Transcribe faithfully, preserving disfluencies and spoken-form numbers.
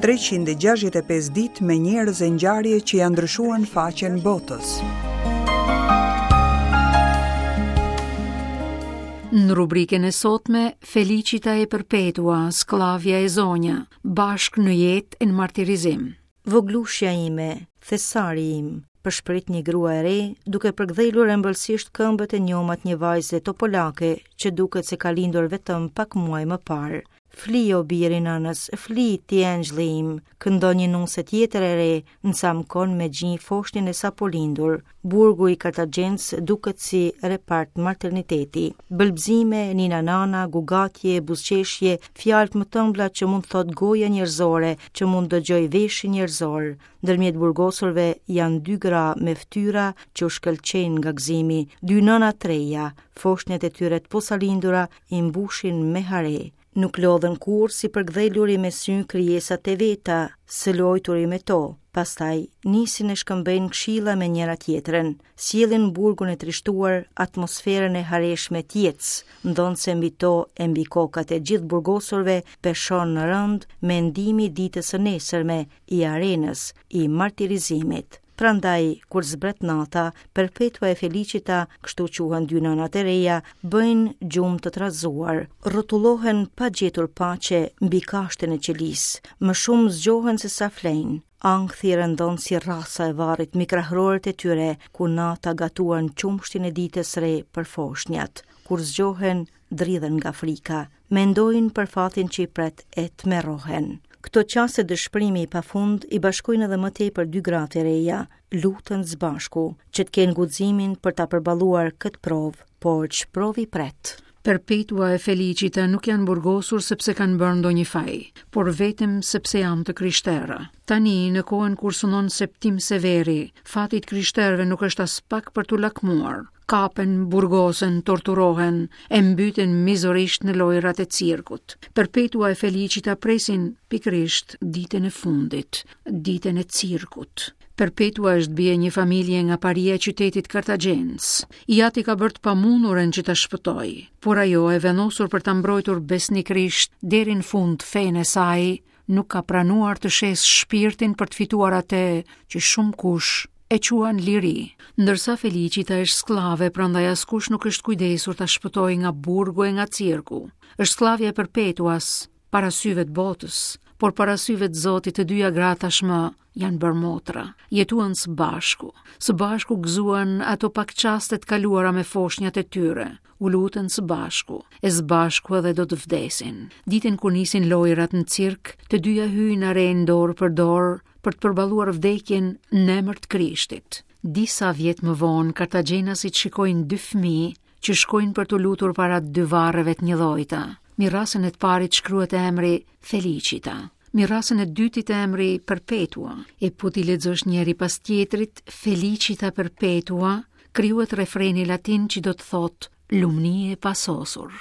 treqind e gjashtëdhjetë e pesë ditë me njerëz e ngjarje që janë ndryshuar në faqen botës. Në rubrikën e sotme, Felicita e Perpetua, skllavja e zonja, bashkë në jetë e në martirizim. Voglushja ime, thesari im, përshprit një grua e re, duke përkdhelur ëmbëlsisht këmbët e njomat një vajze topolake që duket se ka lindur vetëm pak muaj më parë. Fli o biri nënës, fli ti engjëlli im, këndon një nuse tjetër e re, nësamkon me gji foshnjën e sapolindur. Burgu i Kartagjenës duket si repart materniteti. Bëlbzime, nina nana, gugatje, buzëqeshje, fjalët më të ëmbla që mund thot goja njerëzore, që mund dëgjoj veshi njerëzor. Ndërmjet burgosurve janë dy gra me fytyra që u shkëlqejnë nga gëzimi, dy nëna të reja, foshnjat e tyre të posalindura i mbushin me hare. Nuk lodhen kurrë si përkdheluri me sy krijesat e veta, së lojturi me to. Pastaj nisin e shkëmbejnë këshilla me njëra tjetrën, sjellin burgun e trishtuar, atmosferën e hareshme të jetës, ndonse mbi to e mbi kokat e gjithë burgosurve peshon rënd mendimi i ditës së nesërme, i arenës, i martirizimit. Prandaj, kur zbret nata, Perpetua e Felicita, kështu quhen dy nënat e reja, bëjnë gjumë të trazuar, rrotullohen pa gjetur paqe mbi kashtën e qelisë, më shumë zgjohen se sa flejnë. Ankthi rëndon si rasa e varrit mbi krahroret e tyre, ku nata gatuan qumshtin e ditës re për foshnjat. Kur zgjohen, dridhen nga frika, mendojnë për fatin që i pret e tmerrohen. Këto çaste dëshpërimi i pafund i bashkojnë edhe më tepër dy gratë e reja, luten së bashku, që të kenë guximin për ta përballuar këtë provë, por ç'provë i pret. Perpetua e Felicita nuk janë burgosur sepse kanë bërë ndonjë faj, por vetëm sepse janë të krishtera. Tani, në kohën kur sunon Septim Severi, fati i të krishterëve nuk është as pak për t'u lakmuar. Kapen, burgosen, torturohen, e mbyten mizorisht në lojrat e cirkut. Perpetua e Felicita presin pikërisht ditën e fundit, ditën e cirkut. Perpetua është bie një familje nga paria e qytetit Kartagjenës. I ati ka bërë të pamundurën që ta shpëtoj, por ajo e vendosur për ta mbrojtur besnikërisht deri në fund fenë e saj, nuk ka pranuar të shesë shpirtin për të fituar atë që shumë kush e quan liri. Ndërsa Felicita është skllave, prandaj askush nuk është kujdesur ta shpëtojë nga burgu e nga cirku. Është skllavja e Perpetuas para syve të botës, por para syve të Zotit të dyja gratë tashmë janë bërë motra. Jetuan së bashku, së bashku gëzuan ato pak çaste të kaluara me foshnjat e tyre, u lutën së bashku, e së bashku edhe do të vdesin. Ditën kur nisin lojrat në cirk, të dyja hyjnë në arenë dorë për dorë për të përballuar vdekjen në emër të Krishtit. Disa vjet më vonë, kartagjenasit shikojnë dy fëmijë që shkojnë për t'u lutur para dy varreve të njëllojta. Mbi rasën e të parit shkruhet emri Felicita, mbi rasën e dytit emri Perpetua. E po t'i lexosh njëri pas tjetrit, Felicita Perpetua, krijohet refreni latin që do të thotë lumni e pasosur.